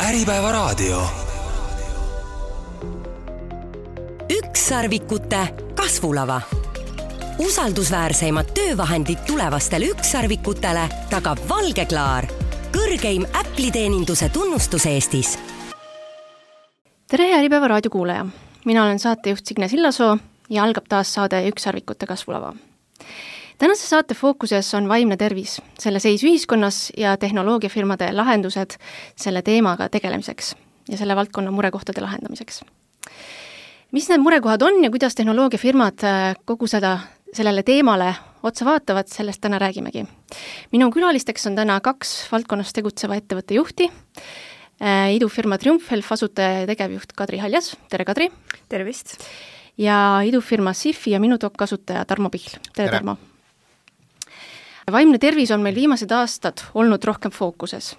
Äripäevaraadio. Ükssarvikute kasvulava. Usaldusväärseimad töövahendid tulevastele ükssarvikutele tagab Valgeklaar, kõrgeim Apple'i-teeninduse tunnustus Eestis. Tere Äripäevaraadio kuulaja! Mina olen saatejuht Signe Sillasoo ja algab taas saade Ükssarvikute kasvulava. Tänase saate fookuses on vaimne tervis, selle seis ühiskonnas ja tehnoloogiafirmade lahendused selle teemaga tegelemiseks ja selle valdkonna murekohtade lahendamiseks. Mis need murekohad on ja kuidas tehnoloogiafirmad kogu sellele teemale otsa vaatavad, sellest täna räägimegi. Minu külalisteks on täna 2 valdkonnas tegutseva ettevõtte juhti, idufirma Triumfhelf asutaja ja tegevjuht Kadri Haljas. Tere Kadri! Tervist! Ja idufirma Sifi ja Minutok asutaja Tarmo Pihl. Tere Tarmo! Vaimne tervis on meil viimased aastad olnud rohkem fookuses.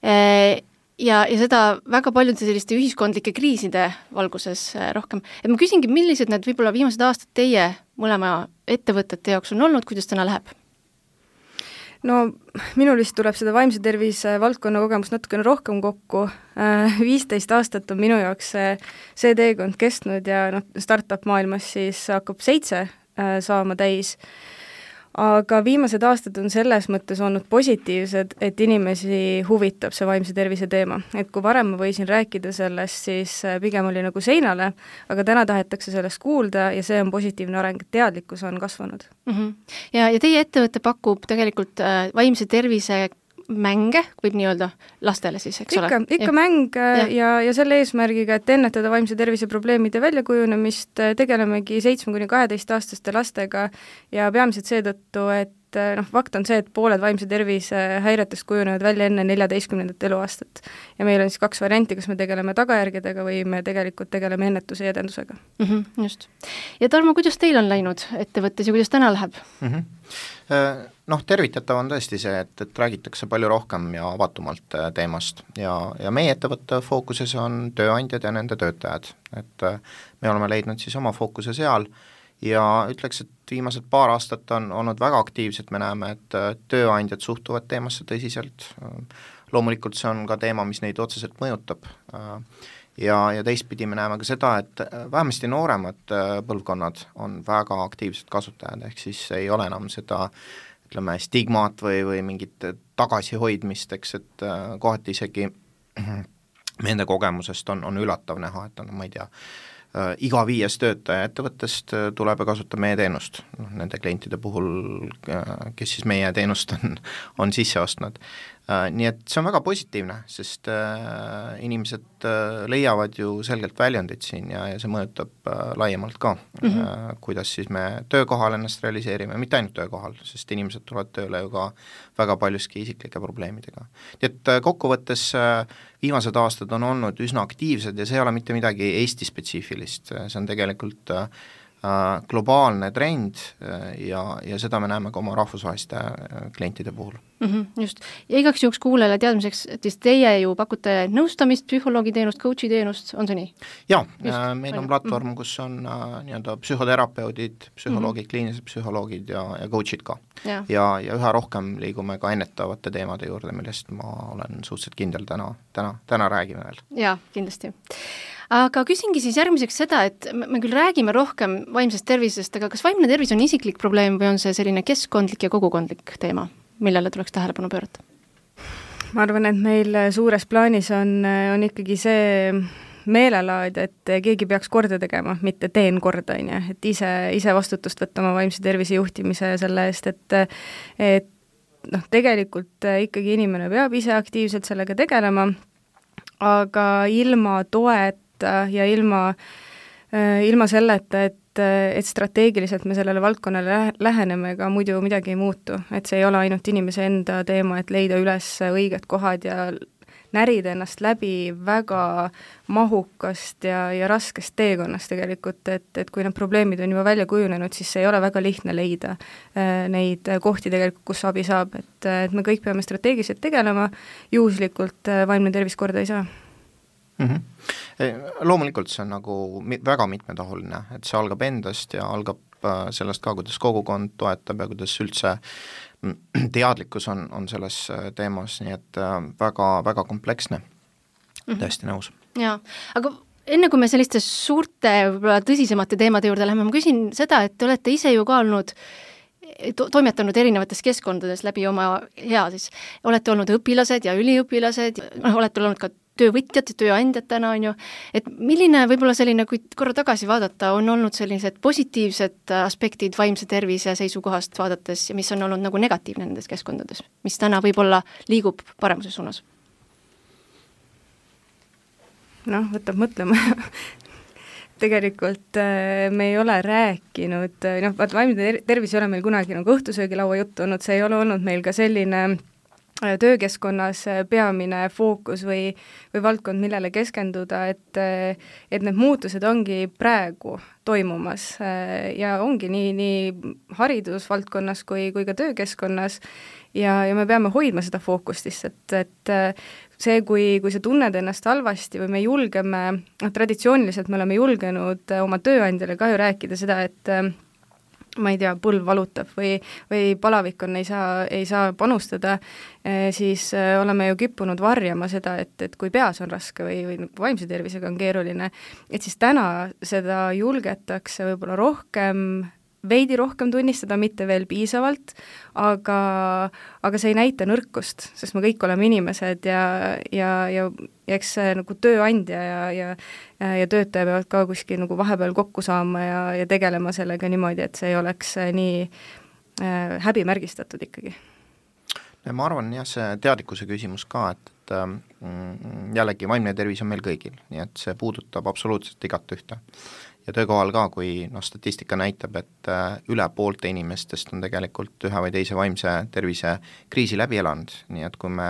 Ja seda väga paljude selliste ühiskondlike kriiside valguses rohkem. Et ma küsingi, millised need võib-olla viimased aastad teie mõlema ettevõtete jaoks on olnud, kuidas täna läheb? No minul vist tuleb seda vaimse tervise valdkonna kogemus natukene rohkem kokku. 15 aastat on minu jaoks see teekond kestnud ja startup maailmas siis hakkab 7 saama täis. Aga viimased aastad on selles mõttes olnud positiivsed, et inimesi huvitab see vaimse tervise teema. Et kui varem ma võisin rääkida sellest, siis pigem oli nagu seinale, aga täna tahetakse sellest kuulda ja see on positiivne areng, et teadlikkus on kasvanud. Ja teie ettevõte pakub tegelikult vaimse tervise mänge, võib nii öelda, lastele siis, eks ole? Ikka mäng ja selle eesmärgiga, et ennetada vaimse tervise probleemide väljakujunemist, tegelemegi 7–12 aastaste lastega ja peamiselt seetõttu, et fakt on see, et pooled vaimse tervise häiretest kujunevad välja enne 14. eluaastat. Ja meil on siis 2 varianti, kas me tegeleme tagajärgedega või me tegelikult tegeleme ennetuse ja edendusega. Just. Ja Tarmo, kuidas teil on läinud ettevõttes ja kuidas täna läheb? Tervitatav on tõesti see, et räägitakse palju rohkem ja avatumalt teemast ja meie ettevõtte fookuses on tööandjad ja nende töötajad, et me oleme leidnud siis oma fookuse seal ja ütleks, et viimased paar aastat on olnud väga aktiivsed, me näeme, et tööandjad suhtuvad teemasse tõsiselt, loomulikult see on ka teema, mis neid otseselt mõjutab ja teistpidi me näeme ka seda, et vähemasti nooremad põlvkonnad on väga aktiivsed kasutajad, ehk siis ei ole enam seda stigmaat või mingit tagasihoidmist, eks, et kohati isegi nende kogemusest on üllatav näha, et ma ei tea, iga 5 töötaja ettevõttest tuleb ja kasutab meie teenust, nende klientide puhul, kes siis meie teenust on sisse ostnud. Nii et see on väga positiivne, sest inimesed leiavad ju selgelt väljundit siin ja see mõjutab laiemalt ka, kuidas siis me töökohal ennast realiseerime, mitte ainult töökohal, sest inimesed tulevad tööle ju ka väga paljuski isiklike probleemidega. Nii et kokkuvõttes viimased aastad on olnud üsna aktiivsed ja see ei ole mitte midagi Eesti spetsiifilist, see on tegelikult globaalne trend ja seda me näeme ka oma rahvusvaheliste klientide puhul. Just. Ja igaks juhuks kuulele teadmiseks, et teie ju pakute nõustamist, psühholoogi teenust, coachi teenust, on see nii? Jaa, meil on platvorm, kus on nii-öelda psühhoterapeudid, psühholoogid, kliinilised psühholoogid ja coachid ka. Ja üha rohkem liigume ka ennetavate teemade juurde, millest ma olen suhteliselt kindel täna räägime veel. Jaa, kindlasti. Aga küsingi siis järgmiseks seda, et me küll räägime rohkem vaimsest tervisest, aga kas vaimne tervis on isiklik probleem või on see selline keskkondlik ja kogukondlik teema, millele tuleks tähelepanu pöörata? Ma arvan, et meil suures plaanis on ikkagi see meelelaad, et keegi peaks korda tegema, mitte teen korda, et ise vastutust võtta oma vaimse tervise juhtimise selle eest, et tegelikult ikkagi inimene peab ise aktiivselt sellega tegelema, aga ilma toet ja ilma selleta, et strateegiliselt me sellele valdkonnale läheneme, ega muidu midagi ei muutu. Et see ei ole ainult inimese enda teema, et leida üles õiged kohad ja närida ennast läbi väga mahukast ja raskest teekonnast tegelikult, et kui need probleemid on juba välja kujunenud, siis see ei ole väga lihtne leida neid kohti tegelikult, kus abi saab, et me kõik peame strateegiliselt tegelema, juhuslikult vaimne tervis korda ei saa. Loomulikult see on nagu väga mitmetahuline, et see algab endast ja algab sellest ka, kuidas kogukond toetab ja kuidas üldse teadlikkus on selles teemas, nii et väga, väga kompleksne. Täiesti nõus. Jaa, aga enne kui me selliste suurte, võib-olla tõsisemate teemade juurde läheme, ma küsin seda, et te olete ise ju ka olnud toimetanud erinevates keskkondades läbi oma siis. Olete olnud õpilased ja üliõpilased, olete olnud ka töövõtjad, tööandjad täna on ju, et milline võib-olla selline, kui korra tagasi vaadata, on olnud sellised positiivsed aspektid vaimse tervise seisukohast vaadates ja mis on olnud nagu negatiivne nendes keskkondades, mis täna võib-olla liigub paremuse suunas? Võtab mõtlema. Tegelikult me ei ole rääkinud, vaimne tervis ei ole meil kunagi nagu õhtusöögilaua juttu olnud, see ei ole olnud meil ka selline töökeskkonnas peamine fookus või valdkond, millele keskenduda, et need muutused ongi praegu toimumas ja ongi nii haridusvaldkonnas kui ka töökeskkonnas ja me peame hoidma seda fookust lihtsalt, et see, kui sa tunned ennast halvasti või me julgeme, traditsiooniliselt me oleme julgenud oma tööandjale ka ju rääkida seda, et ma ei tea, põlv valutab või palavik on, ei saa panustada, siis oleme ju kippunud varjama seda, et kui peas on raske või vaimse tervisega on keeruline, et siis täna seda julgetakse võib-olla veidi rohkem tunnistada, mitte veel piisavalt, aga see ei näita nõrkust, sest me kõik oleme inimesed ja eks nagu tööandja ja töötaja peavad ka kuskil nagu vahepeal kokku saama ja tegelema sellega niimoodi, et see ei oleks nii häbimärgistatud ikkagi. Ja ma arvan jah, see teadlikkuse küsimus ka, et jällegi vaimne tervis on meil kõigil, nii et see puudutab absoluutselt igat ühte. Ja töökohal ka, kui statistika näitab, et üle poolte inimestest on tegelikult ühe või teise vaimse tervise kriisi läbi elanud, nii et kui me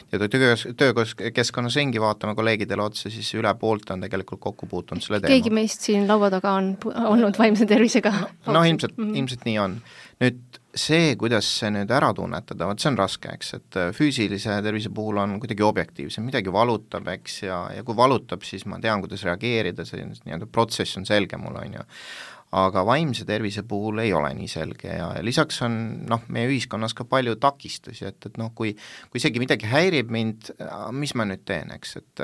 töökeskkonnas ringi vaatame kolleegidele otsa, siis üle poolte on tegelikult kokku puutunud selle teema. Keegi meist siin laua taga on olnud vaimse tervisega? No ilmselt nii on. Nüüd see, kuidas see nüüd ära tunnetada, see on raske, eks, et füüsilise tervise puhul on kuidagi objektiivsem, midagi valutab, eks, ja kui valutab, siis ma tean, kuidas reageerida, see nii-öelda protsess on selge mul, on ju. Aga vaimse tervise puhul ei ole nii selge ja lisaks on meie ühiskonnas ka palju takistusi, et kui isegi midagi häirib mind, mis ma nüüd teen, eks, et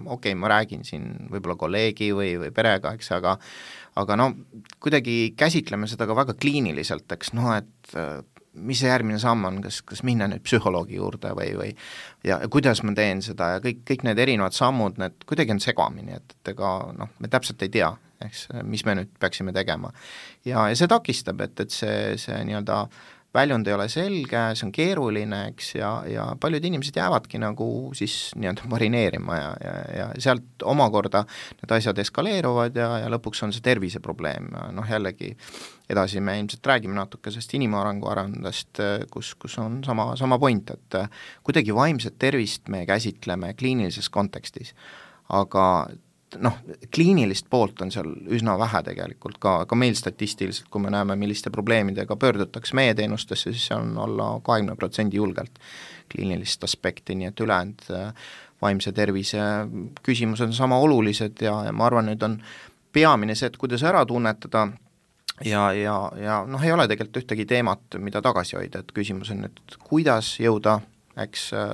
okei, ma räägin siin võib-olla kolleegi või perega, eks, aga kuidagi käsitleme seda ka väga kliiniliselt, eks, et mis see järgmine samm on, kas minna nüüd psühholoogi juurde või ja kuidas ma teen seda ja kõik need erinevad sammud, need kuidagi on segamini, et ega me täpselt ei tea, eks, mis me nüüd peaksime tegema. Ja see takistab, et see nii-öelda väljund ei ole selge, see on keeruline, eks, ja paljud inimesed jäävadki nagu siis nii-öelda marineerima ja sealt omakorda need asjad eskaleeruvad ja lõpuks on see terviseprobleem. Jällegi edasi me ilmselt räägime natuke sellest inimarengu arendust, kus on sama point, et kuidagi vaimset tervist me käsitleme kliinilises kontekstis, aga kliinilist poolt on seal üsna vähe tegelikult, ka meil statistiliselt, kui me näeme, milliste probleemidega pöördutakse meie teenustesse, siis see on alla 20% julgelt kliinilist aspekti, nii et ülejäänud vaimse tervise küsimused on sama olulised ja ma arvan, nüüd on peamine see, et kuidas ära tunnetada ja ei ole tegelikult ühtegi teemat, mida tagasi hoida, et küsimus on nüüd, kuidas jõuda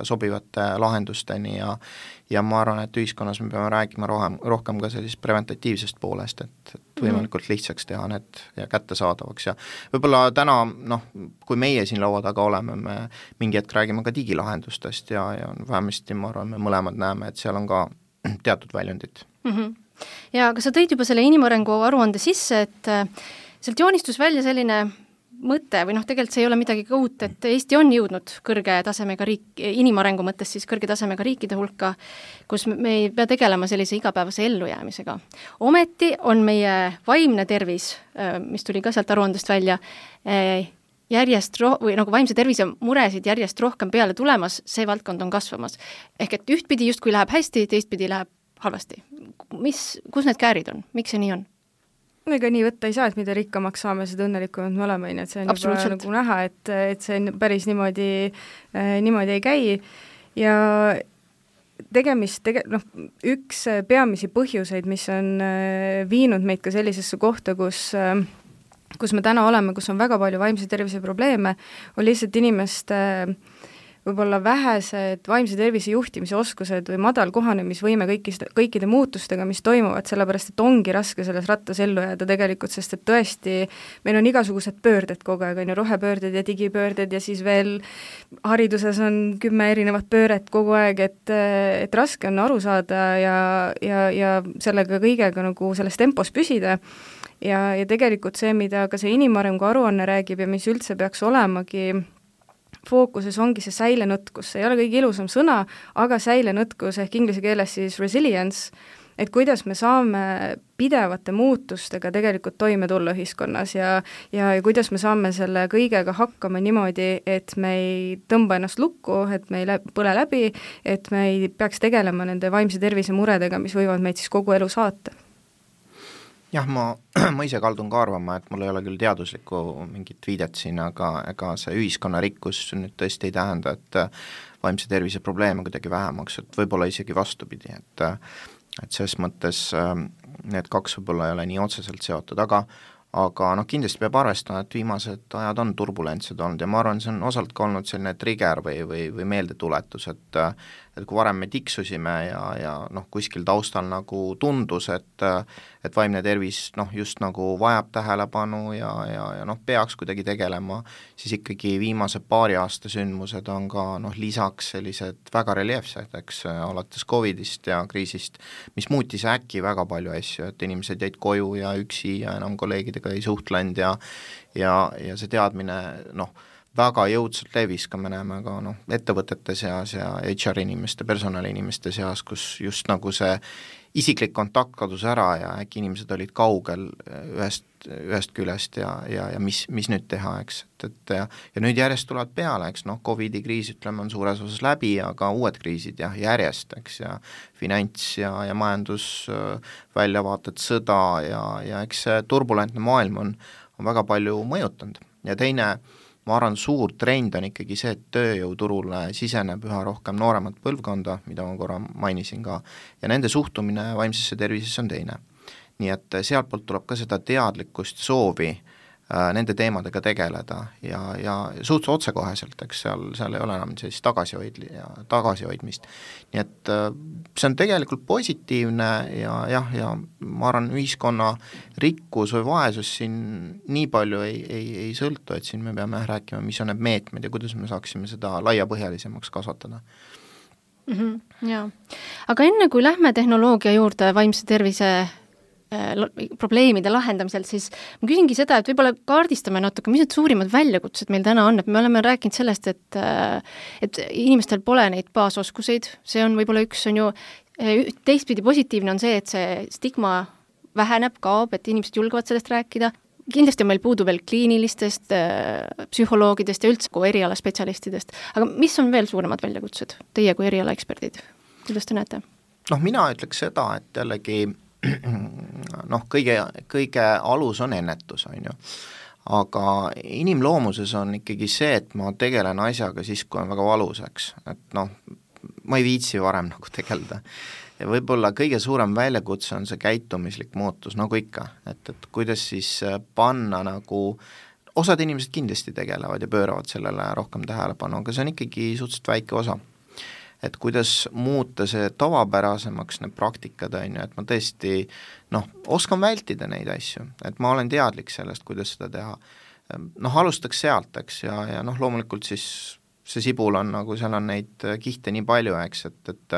sobivate lahendusteni ja ma arvan, et ühiskonnas me peame rääkima rohkem ka sellisest preventatiivsest poolest, et võimalikult lihtsaks teha need ja kättesaadavaks ja võib-olla täna, kui meie siin laua taga oleme, me mingi hetk räägime ka digilahendustest ja vähemasti ma arvan, me mõlemad näeme, et seal on ka teatud väljundid. Ja aga sa tõid juba selle inimarengu aruande sisse, et sealt joonistus välja selline mõte või tegelikult see ei ole midagi ka uut, et Eesti on jõudnud kõrge tasemega inimarengu mõttes siis kõrge tasemega riikide hulka, kus me ei pea tegelema sellise igapäevase ellujäämisega. Ometi on meie vaimne tervis, mis tuli ka sealt aruandest välja, või vaimse tervise muresid järjest rohkem peale tulemas, see valdkond on kasvamas. Ehk et ühtpidi justkui läheb hästi, teistpidi läheb halvasti. Kus need käärid on? Miks see nii on? Ega nii võtta ei saa, et mida rikkamaks saame, seda õnnelikumad me oleme, et see on juba nagu näha, et see päris niimoodi ei käi ja üks peamisi põhjuseid, mis on viinud meid ka sellisesse kohta, kus me täna oleme, kus on väga palju vaimse tervise probleeme, on lihtsalt inimeste võib-olla vähesed vaimse tervise juhtimise oskused või madal kohanemisvõime kõikide muutustega, mis toimuvad, sellepärast et ongi raske selles rattas ellu jääda tegelikult, sest et tõesti meil on igasugused pöörded kogu aeg, on ju, rohepöörded ja digipöörded ja siis veel hariduses on 10 erinevat pööret kogu aeg, et raske on aru saada ja sellega kõigega nagu selles tempos püsida. Ja tegelikult see, mida ka see inimarengu aruanne räägib ja mis üldse peaks olemagi fookuses ongi see säilenõtkus, see ei ole kõige ilusam sõna, aga säilenõtkus ehk inglise keeles siis resilience, et kuidas me saame pidevate muutustega tegelikult toime tulla ühiskonnas ja kuidas me saame selle kõigega hakkama niimoodi, et me ei tõmba ennast lukku, et me ei põle läbi, et me ei peaks tegelema nende vaimse tervise muredega, mis võivad meid siis kogu elu saata. Jah, ma ise kaldun ka arvama, et mul ei ole küll teaduslikku mingit viidet siin, aga see ühiskonna rikkus nüüd tõesti ei tähenda, et vaimse tervise probleeme kuidagi vähemaks, et võib-olla isegi vastupidi, et selles mõttes need kaks võib-olla ei ole nii otseselt seotud, aga kindlasti peab arvestama, et viimased ajad on turbulentsed olnud ja ma arvan, see on osalt ka olnud selline trigger või meeldetuletus, et kui varem me tiksusime ja kuskil taustal nagu tundus, et vaimne tervis just nagu vajab tähelepanu ja peaks kuidagi tegelema, siis ikkagi viimase paari aasta sündmused on ka lisaks sellised väga reljeefsed, eks, alates Covidist ja kriisist, mis muutis äkki väga palju asju, et inimesed jäid koju ja üksi ja enam kolleegidega ei suhtlenud ja see teadmine väga jõudsalt levis, ka me näeme ka ettevõtete seas ja HR inimeste, personali-inimeste seas, kus just nagu see isiklik kontakt kadus ära ja äkki inimesed olid kaugel ühest küljest ja mis nüüd teha, eks, ja nüüd järjest tulevad peale, eks, Covidi kriis, ütleme, on suures osas läbi, aga uued kriisid järjest, eks, ja finants ja majandus, väljavaated, sõda ja eks see turbulentne maailm on väga palju mõjutanud ja teine, ma arvan, suur trend on ikkagi see, et tööjõuturule siseneb üha rohkem nooremat põlvkonda, mida ma korra mainisin ka, ja nende suhtumine vaimsesse tervisesse on teine. Nii et sealtpoolt tuleb ka seda teadlikkust, soovi nende teemadega tegeleda ja suht otsekoheselt, eks seal ei ole enam sellist tagasihoidmist. Nii et see on tegelikult positiivne ja ma arvan, ühiskonna rikkus või vaesus siin nii palju ei sõltu, et siin me peame rääkima, mis on need meetmed ja kuidas me saaksime seda laiapõhjalisemaks kasvatada. Jaa, aga enne kui lähme tehnoloogia juurde vaimse tervise probleemide lahendamiselt, siis ma küsingi seda, et võib-olla kaardistame natuke, mis need suurimad väljakutsed meil täna on, et me oleme rääkinud sellest, et inimestel pole neid baasoskuseid, see on võib-olla üks, on ju, teistpidi positiivne on see, et see stigma väheneb, kaob, et inimesed julgevad sellest rääkida, kindlasti on meil puudu veel kliinilistest, psühholoogidest ja üldse erialaspetsialistidest, aga mis on veel suuremad väljakutsed teie kui erialaeksperdid, kuidas te näete? Mina ütleks seda, et jällegi kõige alus on ennetus, on ju. Aga inimloomuses on ikkagi see, et ma tegelen asjaga siis, kui on väga valuseks, et ma ei viitsi varem nagu tegeleda. Ja võib-olla kõige suurem väljakutse on see käitumislik muutus, nagu ikka, et kuidas siis panna nagu, osad inimesed kindlasti tegelevad ja pööravad sellele rohkem tähelepanu, aga see on ikkagi suhteliselt väike osa. Et kuidas muuta see tavapärasemaks need praktikad, on ju, et ma tõesti oskan vältida neid asju, et ma olen teadlik sellest, kuidas seda teha. Alustaks sealt, eks, ja loomulikult siis see sibul on nagu, seal on neid kihte nii palju, eks, et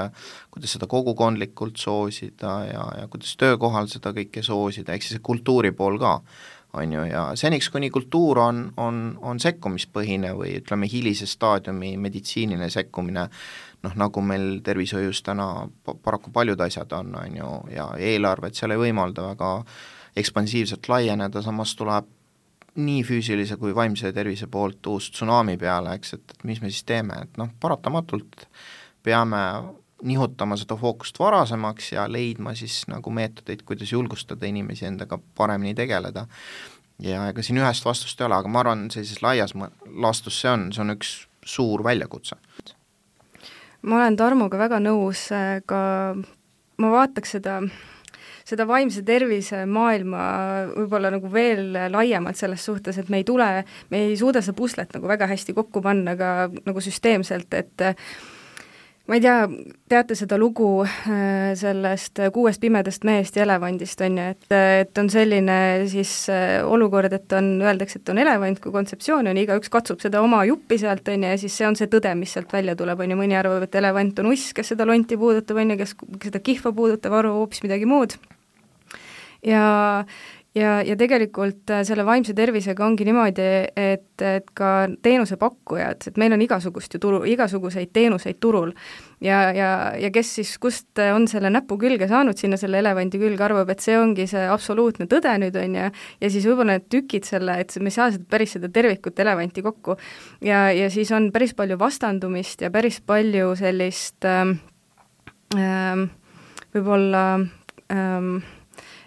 kuidas seda kogukondlikult soosida ja kuidas töökohal seda kõike soosida, eks see kultuuri pool ka, on ju, ja seniks, kuni kultuur on sekkumispõhine või ütleme hilise staadiumi meditsiiniline sekkumine, nagu meil tervishoius täna paraku paljud asjad on ju, ja eelarved seal ei võimalda väga ekspansiivselt laieneda, samas tuleb nii füüsilise kui vaimse tervise poolt uus tsunami peale, eks, et mis me siis teeme, et paratamatult peame nihutama seda fookust varasemaks ja leidma siis nagu meetodeid, kuidas julgustada inimesi endaga paremini tegeleda. Ja ega siin ühest vastust ei ole, aga ma arvan, sellises laias laastus see on üks suur väljakutse. Ma olen Tarmoga väga nõus, ka ma vaataks seda seda vaimse tervise maailma võib-olla nagu veel laiemalt selles suhtes, et me ei suuda seda puslet nagu väga hästi kokku panna ka nagu süsteemselt, et ma ei tea, teate seda lugu sellest 6 pimedast mehest ja elevandist, on ju, et on selline siis olukord, et öeldakse, et on elevant kui kontseptsioon, on igaüks katsub seda oma juppi sealt, on ju, ja siis see on see tõde, mis sealt välja tuleb, on ju, mõni arvab, et elevant on uss, kes seda lonti puudutab, on ju, kes seda kihva puudutab, arvab hoopis midagi muud. Ja tegelikult selle vaimse tervisega ongi niimoodi, et ka teenusepakkujad, et meil on igasuguseid teenuseid turul ja kes siis, kust on selle näpu külge saanud sinna selle elevandi külge, arvab, et see ongi see absoluutne tõde nüüd, on ju, ja siis võib-olla need tükid selle, et me ei saa päris seda tervikut elevanti kokku ja siis on päris palju vastandumist ja päris palju sellist võib-olla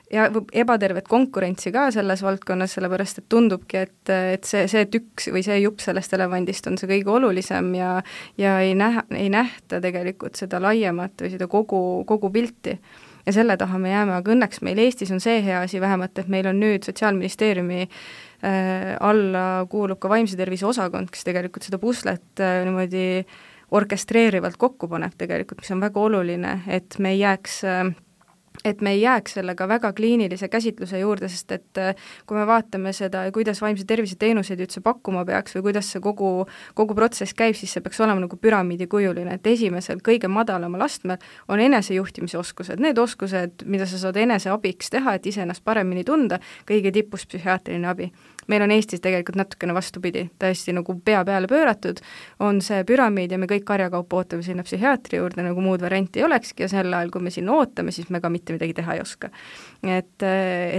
ja ebatervet konkurentsi ka selles valdkonnas, sellepärast et tundubki, et see tükk või see jupp sellest elevandist on see kõige olulisem ja ei nähta tegelikult seda laiemat või seda kogu pilti. Ja selle taha me jääme, aga õnneks meil Eestis on see hea asi vähemalt, et meil on nüüd Sotsiaalministeeriumi alla kuulub ka vaimse tervise osakond, kes tegelikult seda puslet niimoodi orkestreerivalt kokku paneb tegelikult, mis on väga oluline, et me ei jääks sellega väga kliinilise käsitluse juurde, sest et kui me vaatame seda, kuidas vaimse tervise teenuseid üldse pakkuma peaks või kuidas see kogu protsess käib, siis see peaks olema nagu püramiidikujuline, et esimesel kõige madalamal astmel on enesejuhtimise oskused, need oskused, mida sa saad eneseabiks teha, et ise ennast paremini tunda, kõige tipus psühhiaatriline abi. Meil on Eestis tegelikult natukene vastupidi, täiesti nagu pea peale pööratud, on see püramiid ja me kõik karjakaupa ootame sinna psühhiaatri juurde, nagu muud varianti ei olekski ja sel ajal, kui me sinna ootame, siis me ka mitte midagi teha ei oska. Et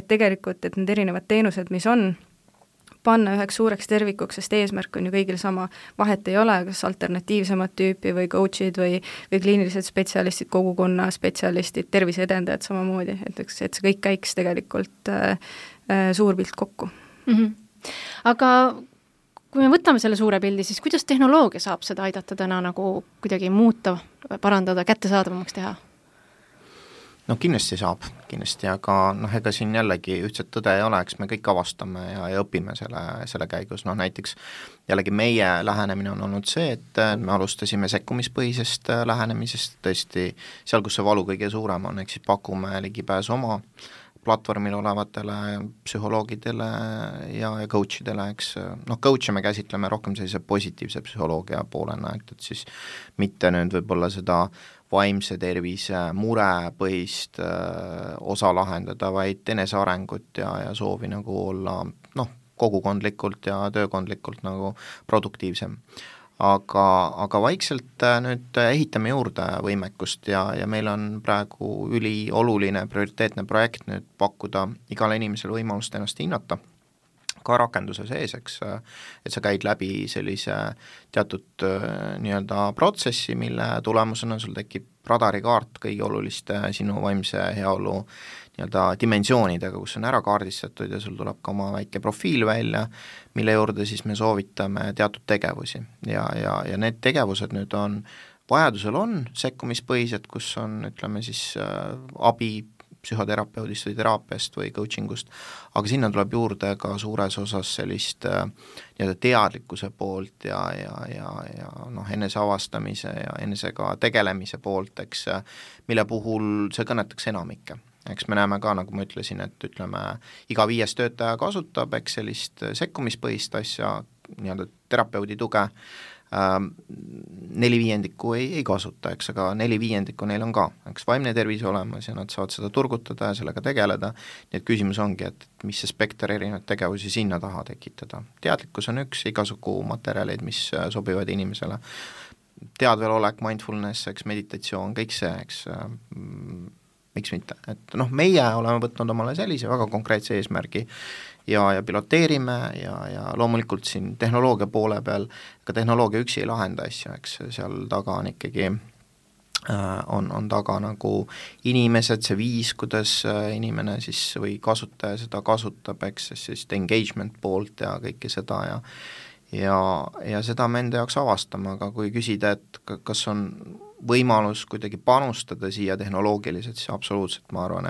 tegelikult, et need erinevad teenused, mis on, panna üheks suureks tervikuks, sest eesmärk on ju kõigil sama, vahet ei ole, kas alternatiivsemat tüüpi või coachid või kliinilised spetsialistid, kogukonna spetsialistid, terviseedendajad samamoodi, et see kõik käiks tegelikult suur pilt kokku. Aga kui me võtame selle suure pildi, siis kuidas tehnoloogia saab seda aidata täna nagu kuidagi muuta, parandada, kättesaadavamaks teha? No kindlasti saab, aga ega siin jällegi ühtset tõde ei ole, eks me kõik avastame ja õpime selle käigus, näiteks jällegi meie lähenemine on olnud see, et me alustasime sekkumispõhisest lähenemisest, tõesti seal, kus see valu kõige suurem on, ehk siis pakume ligipääsu oma platvormil olevatele psühholoogidele ja coachidele, eks, coach'e me käsitleme rohkem sellise positiivse psühholoogia poolena, et siis mitte nüüd võib-olla seda vaimse tervise murepõhist osa lahendada, vaid enesearengut ja soovi nagu olla kogukondlikult ja töökondlikult nagu produktiivsem. Aga vaikselt nüüd ehitame juurde võimekust ja meil on praegu ülioluline prioriteetne projekt nüüd pakkuda igale inimesele võimalust ennast hinnata, ka rakenduse sees, eks, et sa käid läbi sellise teatud nii-öelda protsessi, mille tulemusena sul tekib radarikaart kõige oluliste sinu vaimse heaolu nii-öelda dimensioonidega, kus on ära kaardistatud ja sul tuleb ka oma väike profiil välja, mille juurde siis me soovitame teatud tegevusi ja need tegevused nüüd on, vajadusel on sekkumispõhised, kus on, ütleme siis abi psühhoterapeudist või teraapiast või coachingust, aga sinna tuleb juurde ka suures osas sellist nii-öelda teadlikkuse poolt ja enese avastamise ja enesega tegelemise poolt, eks, mille puhul see kõnetaks enamikke. Eks me näeme ka, nagu ma ütlesin, et ütleme, iga 5 töötaja kasutab, eks, sellist sekkumispõhist asja, nii-öelda terapeudi tuge, 4/5 ei kasuta, eks, aga 4/5 neil on ka, eks, vaimne tervis olemas ja nad saavad seda turgutada ja sellega tegeleda, nii et küsimus ongi, et mis see spekter erinevaid tegevusi sinna taha tekitada. Teadlikkus on üks, igasugu materjalid, mis sobivad inimesele, teadvelolek, mindfulness, eks, meditatsioon, kõik see, eks, miks mitte, et meie oleme võtnud omale sellise väga konkreetse eesmärgi ja piloteerime ja loomulikult siin tehnoloogia poole peal, ka tehnoloogia üksi ei lahenda asju, eks, seal taga on ikkagi on taga nagu inimesed, see viis, kuidas inimene siis või kasutaja seda kasutab, eks, siis engagement poolt ja kõike seda ja seda me enda jaoks avastame, aga kui küsida, et kas on võimalus kuidagi panustada siia tehnoloogiliselt, siis absoluutselt ma arvan,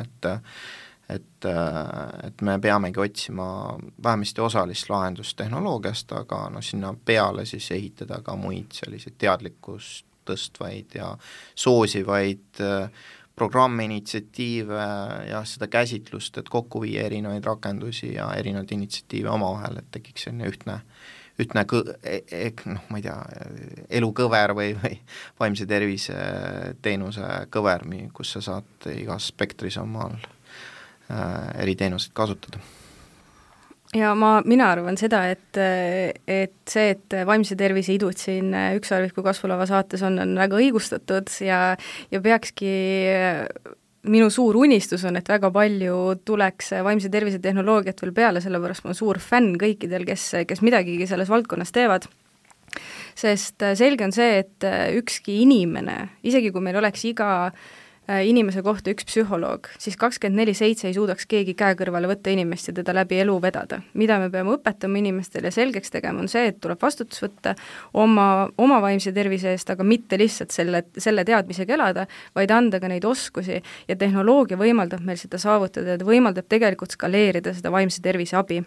et me peamegi otsima vähemasti osalist lahendust tehnoloogiast, aga sinna peale siis ehitada ka muid selliseid teadlikkust tõstvaid ja soosivaid programme, initsiatiive ja seda käsitlust, et kokku viia erinevaid rakendusi ja erinevaid initsiatiive omavahel, et tekiks selline ühtne ma ei tea, elukõver või vaimse tervise teenuse kõver, kus sa saad igas spektris omal eri teenuseid kasutada. Ja mina arvan seda, et see, et vaimse tervise idud siin Ükssarviku kasvulava saates on väga õigustatud ja peakski minu suur unistus on, et väga palju tuleks vaimse tervise tehnoloogiat veel peale, sellepärast ma olen suur fänn kõikidel, kes midagigi selles valdkonnas teevad. Sest selge on see, et ükski inimene, isegi kui meil oleks iga inimese kohta üks psühholoog, siis 24/7 ei suudaks keegi käe kõrvale võtta inimest ja teda läbi elu vedada. Mida me peame õpetama inimestele ja selgeks tegema, on see, et tuleb vastutus võtta oma vaimse tervise eest, aga mitte lihtsalt selle teadmisega elada, vaid anda ka neid oskusi ja tehnoloogia võimaldab meil seda saavutada, et võimaldab tegelikult skaleerida seda vaimse tervise abi,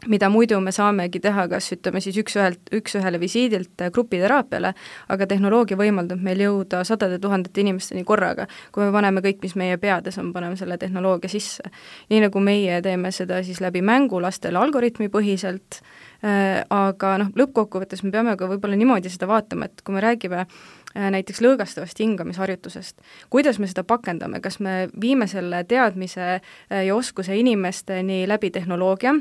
mida muidu me saamegi teha, kas ütleme siis üks-ühele visiidilt grupiteraapiale, aga tehnoloogia võimaldab meil jõuda sadade tuhandete inimesteni korraga, kui me paneme kõik, mis meie peades on, paneme selle tehnoloogia sisse. Nii nagu meie teeme seda siis läbi mängu lastele algoritmi põhiselt, aga lõppkokkuvõttes me peame ka võib-olla niimoodi seda vaatama, et kui me räägime näiteks lõõgastavast hingamisharjutusest, kuidas me seda pakendame, kas me viime selle teadmise ja oskuse inimesteni läbi tehnoloogia,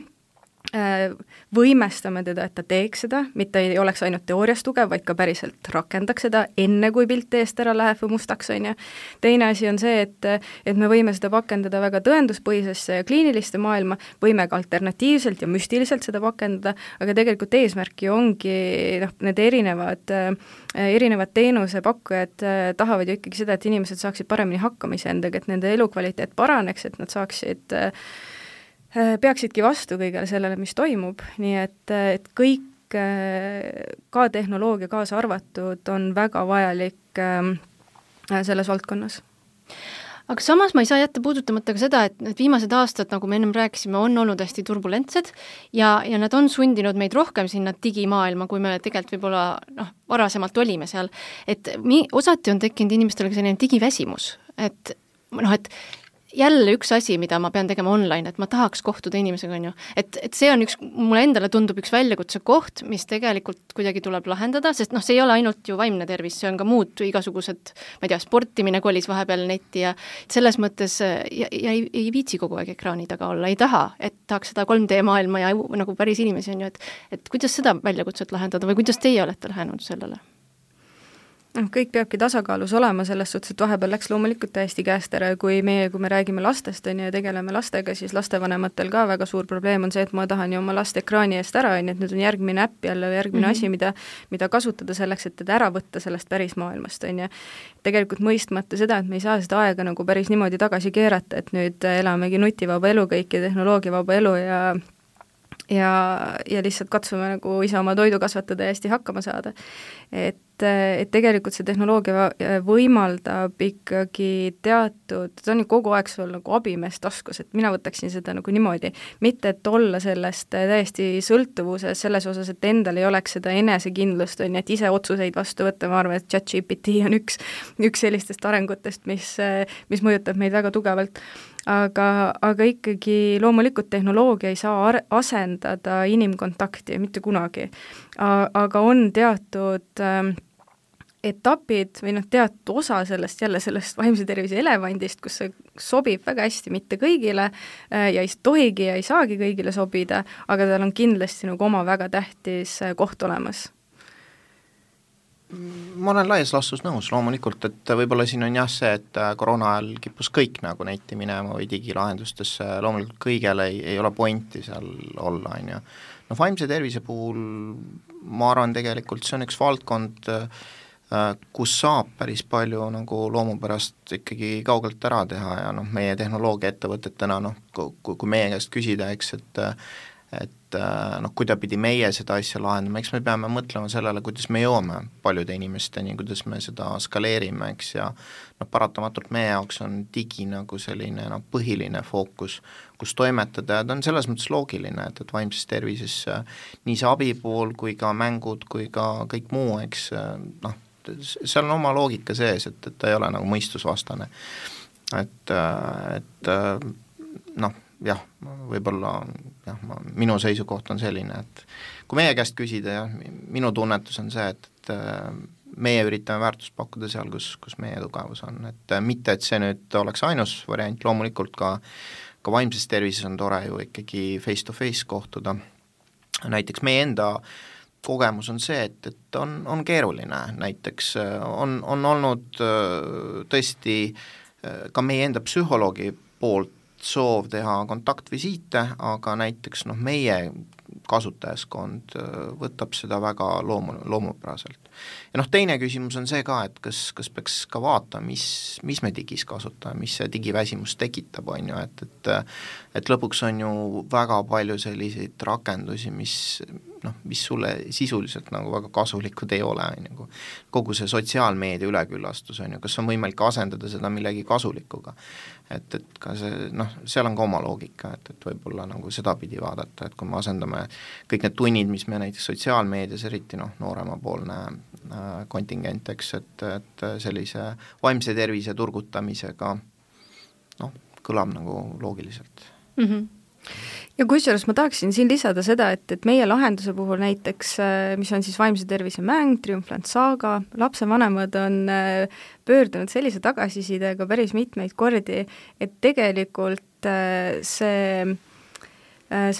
võimestame teda, et ta teeks seda, mitte ei oleks ainult teoorias tugev, vaid ka päriselt rakendaks seda, enne kui pilt eest ära läheb või mustaks, on ju. Teine asi on see, et me võime seda pakendada väga tõenduspõhisesse ja kliiniliste maailma, võime ka alternatiivselt ja müstiliselt seda pakendada, aga tegelikult eesmärk ju ongi need erinevad teenusepakkujad tahavad ju ikkagi seda, et inimesed saaksid paremini hakkama iseendaga, et nende elukvaliteet paraneks, et nad peaksidki vastu kõigele sellele, mis toimub, nii et kõik, ka tehnoloogia kaasa arvatud, on väga vajalik selles valdkonnas. Aga samas ma ei saa jätta puudutamata ka seda, et need viimased aastad, nagu me ennem rääkisime, on olnud hästi turbulentsed ja nad on sundinud meid rohkem sinna digimaailma, kui me tegelikult võib-olla varasemalt olime seal. Et osati on tekkinud inimestele ka selline digiväsimus, et jälle üks asi, mida ma pean tegema online, et ma tahaks kohtuda inimesega, on ju. Et see on mulle endale tundub üks väljakutse koht, mis tegelikult kuidagi tuleb lahendada, sest see ei ole ainult ju vaimne tervis, see on ka muud igasugused, ma ei tea, sportimine kolis vahepeal netti ja selles mõttes ja ei viitsi kogu aeg ekraani taga olla, ei taha, et tahaks seda 3D maailma ja nagu päris inimesi on ju, et kuidas seda väljakutset lahendada või kuidas teie olete lähenenud sellele? Kõik peabki tasakaalus olema selles suhtes, et vahepeal läks loomulikult täiesti käest ära, kui me räägime lastest ja tegeleme lastega, siis lastevanematel ka väga suur probleem on see, et ma tahan ju oma last ekraani eest ära, et nüüd on järgmine äpp jälle, järgmine asi, mida kasutada selleks, et teda ära võtta sellest päris maailmast, on ju. Tegelikult mõistmata seda, et me ei saa seda aega nagu päris niimoodi tagasi keerata, et nüüd elamegi nutivaba elu kõik ja tehnoloogiavaba elu ja lihtsalt katsume nagu ise oma toidu kasvatada ja hästi hakkama saada. Et tegelikult see tehnoloogia võimaldab ikkagi teatud, ta on ju kogu aeg sul nagu abimees taskus, et mina võtaksin seda nagu niimoodi, mitte et olla sellest täiesti sõltuvuses selles osas, et endal ei oleks seda enesekindlust, on ju, et ise otsuseid vastu võtta, ma arvan, et ChatGPT on üks sellistest arengutest, mis mõjutab meid väga tugevalt. Aga ikkagi loomulikult tehnoloogia ei saa asendada inimkontakti, mitte kunagi. Aga on teatud etapid või teatud osa sellest vaimse tervise elevandist, kus see sobib väga hästi mitte kõigile ja ei tohigi ja ei saagi kõigile sobida, aga tal on kindlasti nagu oma väga tähtis koht olemas. Ma olen laias laastus nõus loomulikult, et võib-olla siin on jah see, et koroona ajal kippus kõik nagu netti minema või digilahendustesse, loomulikult kõigel ei ole pointi seal olla, on ju. Vaimse tervise puhul ma arvan tegelikult see on üks valdkond, kus saab päris palju nagu loomupärast ikkagi kaugelt ära teha ja meie tehnoloogia ettevõtetena, kui meie käest küsida, eks, kuidapidi meie seda asja lahendame, eks me peame mõtlema sellele, kuidas me jõuame paljude inimesteni, kuidas me seda skaleerime, eks, ja paratamatult meie jaoks on digi nagu selline põhiline fookus, kus toimetada, ja ta on selles mõttes loogiline, et vaimses tervises nii see abipool kui ka mängud kui ka kõik muu, eks, seal on oma loogika sees, et ta ei ole nagu mõistusvastane. Jah, võib-olla minu seisukoht on selline, et kui meie käest küsida, minu tunnetus on see, et meie üritame väärtust pakkuda seal, kus meie tugevus on, et mitte, et see nüüd oleks ainus variant, loomulikult ka vaimses tervises on tore ju ikkagi face to face kohtuda, näiteks meie enda kogemus on see, et on keeruline, näiteks on olnud tõesti ka meie enda psühholoogi poolt soov teha kontaktvisiite, aga näiteks meie kasutajaskond võtab seda väga loomupäraselt. Ja teine küsimus on see ka, et kas peaks ka vaatama, mis me digis kasutame, mis see digiväsimus tekitab, on ju, et lõpuks on ju väga palju selliseid rakendusi, mis sulle sisuliselt nagu väga kasulikud ei ole, nagu kogu see sotsiaalmeedia üleküllastus on ju, kas on võimalik asendada seda millegi kasulikuga, et ka see, seal on ka oma loogika, et võib-olla nagu sedapidi vaadata, et kui me asendame kõik need tunnid, mis me näiteks sotsiaalmeedias, eriti nooremapoolne kontingent, eks, et sellise vaimse tervise turgutamisega kõlab nagu loogiliselt. Ja kusjuures ma tahaksin siin lisada seda, et meie lahenduse puhul näiteks, mis on siis vaimse tervise mäng, Triumphland Saga, lapsevanemad on pöördunud sellise tagasisidega päris mitmeid kordi, et tegelikult see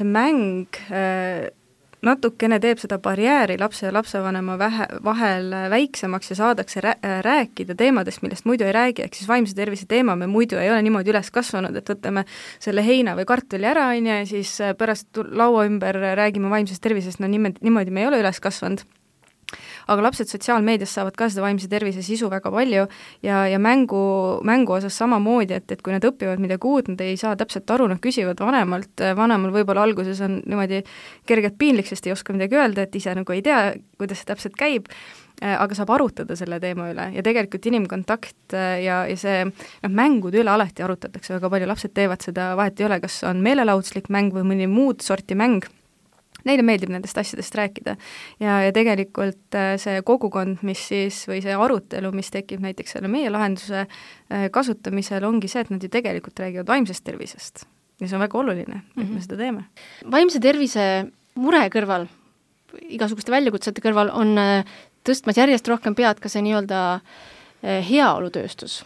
mäng natukene teeb seda barjääri lapse ja lapsevanema vahel väiksemaks ja saadakse rääkida teemadest, millest muidu ei räägi, ehk siis vaimse tervise teema me muidu ei ole niimoodi üles kasvanud, et võtame selle heina või kartuli ära, ja siis pärast laua ümber räägime vaimsest tervisest, niimoodi me ei ole üles kasvanud. Aga lapsed sotsiaalmeedias saavad ka seda vaimse tervise sisu väga palju ja mängu osas samamoodi, et kui nad õpivad midagi uut, nad ei saa täpselt aru, nad küsivad vanemal võib-olla alguses on niimoodi kergelt piinlik, sest ei oska midagi öelda, et ise nagu ei tea, kuidas see täpselt käib, aga saab arutada selle teema üle ja tegelikult inimkontakt ja see mängude üle alati arutatakse väga palju, lapsed teevad seda, vahet ei ole, kas on meelelahutuslik mäng või mõni muud sorti mäng, neile meeldib nendest asjadest rääkida ja tegelikult see kogukond, mis siis, või see arutelu, mis tekib näiteks selle meie lahenduse kasutamisel, ongi see, et nad ju tegelikult räägivad vaimsest tervisest ja see on väga oluline, et me seda teeme. Vaimse tervise mure kõrval, igasuguste väljakutsete kõrval on tõstmas järjest rohkem pead ka see nii-öelda heaolutööstus,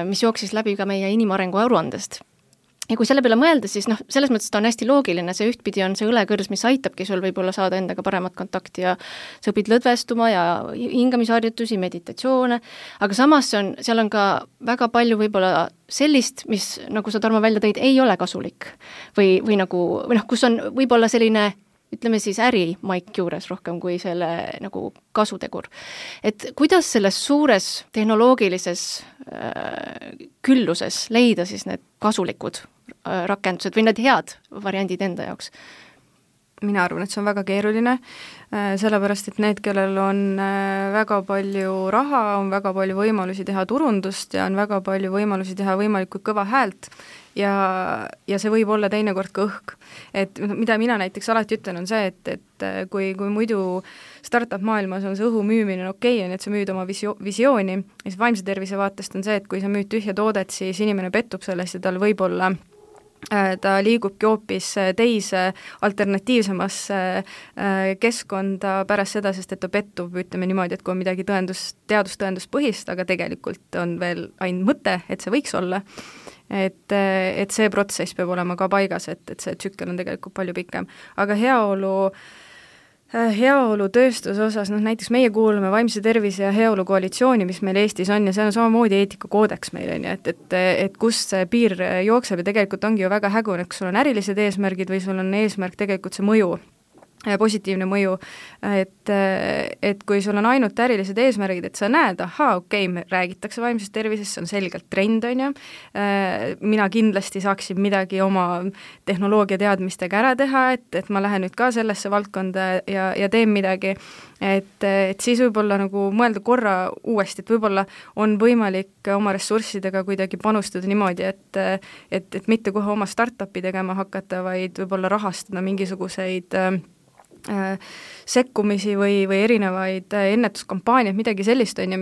mis jooksis läbi ka meie inimarengu aruandest. Ja kui selle peale mõelda, siis selles mõttes ta on hästi loogiline, see ühtpidi on see õlekõrs, mis aitabki sul võib-olla saada endaga paremat kontakti ja sa õpid lõdvestuma ja hingamisharjutusi, meditatsioone, aga samas seal on ka väga palju võib-olla sellist, mis, nagu sa, Tarmo, välja tõid, ei ole kasulik või kus on võib-olla selline, ütleme siis ärimaik juures rohkem kui selle nagu kasutegur. Et kuidas selles suures tehnoloogilises külluses leida siis need kasulikud rakendused või need head variandid enda jaoks? Mina arvan, et see on väga keeruline, sellepärast, et need, kellel on väga palju raha, on väga palju võimalusi teha turundust ja on väga palju võimalusi teha võimalikult kõva häält ja see võib olla teinekord ka õhk. Et mida mina näiteks alati ütlen, on see, et kui muidu startup maailmas on see õhu müümine okei, on, et sa müüd oma visiooni, ja siis vaimse tervise vaatest on see, et kui sa müüd tühja toodet, siis inimene pettub sellest ja tal võib-olla ta liigubki hoopis teise alternatiivsemasse keskkonda pärast seda, sest et ta pettub, ütleme niimoodi, et kui on midagi teadustõenduspõhist, aga tegelikult on veel ainult mõte, et see võiks olla, et see protsess peab olema ka paigas, et see tsükkel on tegelikult palju pikem. Aga heaolutööstuse osas, näiteks meie kuulume vaimse tervise ja heaolu koalitsiooni, mis meil Eestis on ja see on samamoodi eetikakoodeks meil, on ju, et kust see piir jookseb ja tegelikult ongi ju väga hägune, kas sul on ärilised eesmärgid või sul on eesmärk tegelikult see mõju positiivne mõju, et kui sul on ainult ärilised eesmärgid, et sa näed, me räägitakse vaimsest tervisest, see on selgelt trend, on ju, mina kindlasti saaksin midagi oma tehnoloogia teadmistega ära teha, et ma lähen nüüd ka sellesse valdkonda ja teen midagi, et siis võib-olla nagu mõelda korra uuesti, et võib-olla on võimalik oma ressurssidega kuidagi panustada niimoodi, et mitte kohe oma startupi tegema hakata, vaid võib-olla rahastada mingisuguseid sekkumisi või erinevaid ennetuskampaaniaid, midagi sellist on ju,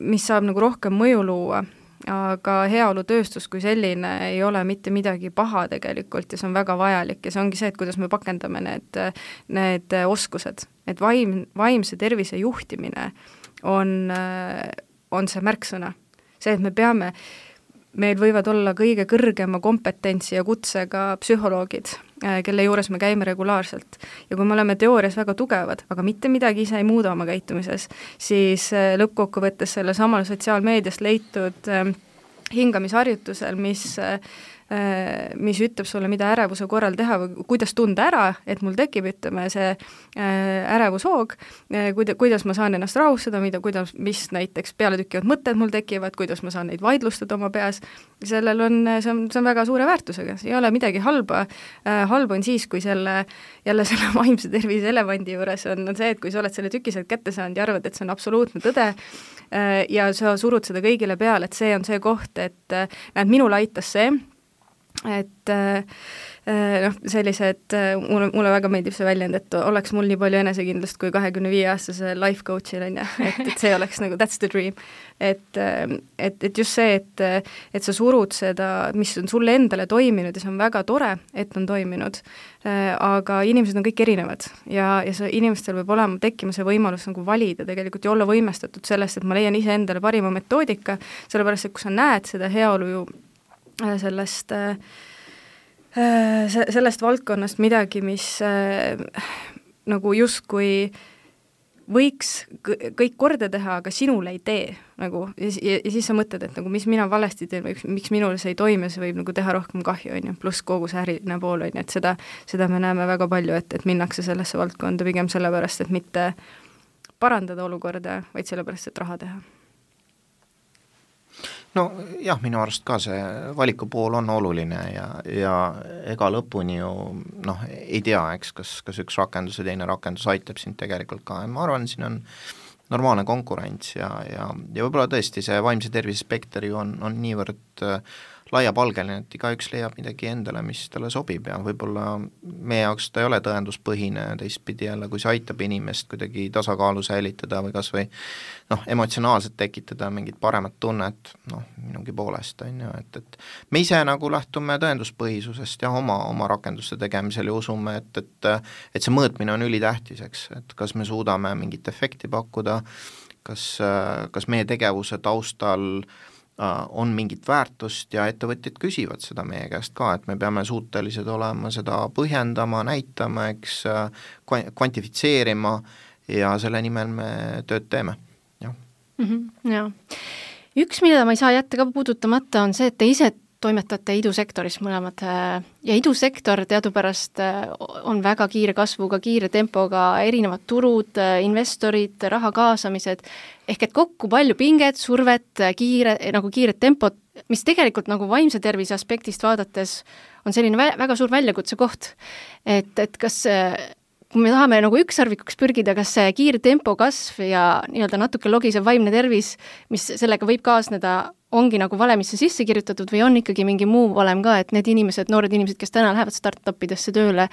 mis saab nagu rohkem mõju luua, aga heaolutööstus kui selline ei ole mitte midagi paha tegelikult ja see on väga vajalik ja see ongi see, et kuidas me pakendame need oskused, et vaimse tervise juhtimine on see märksõna. See, et meil võivad olla kõige kõrgema kompetentsi ja kutsega psühholoogid, kelle juures me käime regulaarselt. Ja kui me oleme teoorias väga tugevad, aga mitte midagi ise ei muuda oma käitumises, siis lõppkokkuvõttes selle samal sotsiaalmeediast leitud hingamisharjutusel, mis ütleb sulle, mida ärevuse korral teha või kuidas tunda ära, et mul tekib, ütleme, see ärevushoog, kuidas ma saan ennast rahustada, mis näiteks pealetükkivad mõtted mul tekivad, kuidas ma saan neid vaidlustada oma peas, see on väga suure väärtusega, see ei ole midagi halba. Halb on siis, kui selle vaimse tervise elevandi juures on see, et kui sa oled selle tüki sealt kätte saanud ja arvad, et see on absoluutne tõde ja sa surud seda kõigile peale, et see on see koht, et näed, minul aitas see, et sellised, mulle väga meeldib see väljend, et oleks mul nii palju enesekindlust kui 25-aastase life coach'il on ju, et see oleks nagu that's the dream. Et just see, et sa surud seda, mis on sulle endale toiminud ja see on väga tore, et on toiminud, aga inimesed on kõik erinevad ja inimestel võib tekkima see võimalus nagu valida tegelikult ja olla võimestatud sellest, et ma leian ise endale parima metoodika, sellepärast, et kui sa näed seda heaolu ju sellest valdkonnast midagi, mis nagu justkui võiks kõik korda teha, aga sinul ei tee nagu, ja siis sa mõtled, et nagu mis mina valesti teen või miks minul see ei toimi, see võib nagu teha rohkem kahju, on ju, pluss kogu see äriline pool, on ju, et seda me näeme väga palju, et minnakse sellesse valdkonda pigem sellepärast, et mitte parandada olukorda, vaid sellepärast, et raha teha. No jah, minu arust ka see valikupool on oluline ja ega lõpuni ju ei tea, kas üks rakendus ja teine rakendus aitab sind tegelikult ka, ma arvan, siin on normaalne konkurents ja võib-olla tõesti see vaimse tervise spekter ju on niivõrd laiapalgeline, et igaüks leiab midagi endale, mis talle sobib ja võib-olla meie jaoks ta ei ole tõenduspõhine, teistpidi jälle, kui see aitab inimest kuidagi tasakaalu säilitada või kas või emotsionaalselt tekitada mingit paremat tunnet, minugi poolest on ju, et me ise nagu lähtume tõenduspõhisusest ja oma rakenduste tegemisel ja usume, et see mõõtmine on ülitähtis, eks, et kas me suudame mingit efekti pakkuda, kas meie tegevuse taustal on mingit väärtust ja ettevõtjad küsivad seda meie käest ka, et me peame suutelised olema seda põhjendama, näitama, eks, kvantifitseerima ja selle nimel me tööd teeme, jah. Jah. Üks, mida ma ei saa jätta ka puudutamata, on see, et te ise toimetate idusektoris mõlemad ja idusektor teadupärast on väga kiire kasvuga, kiire tempoga, erinevad turud, investorid, raha kaasamised, ehk et kokku palju pinget, survet, kiiret tempot, mis tegelikult nagu vaimse tervise aspektist vaadates on selline väga suur väljakutse koht, et kas kui me tahame nagu ükssarvikuks pürgida, kas see kiire tempo kasv ja nii-öelda natuke logisev vaimne tervis, mis sellega võib kaasneda, ongi nagu valemisse sisse kirjutatud või on ikkagi mingi muu valem ka, et need noored inimesed, kes täna lähevad startupidesse tööle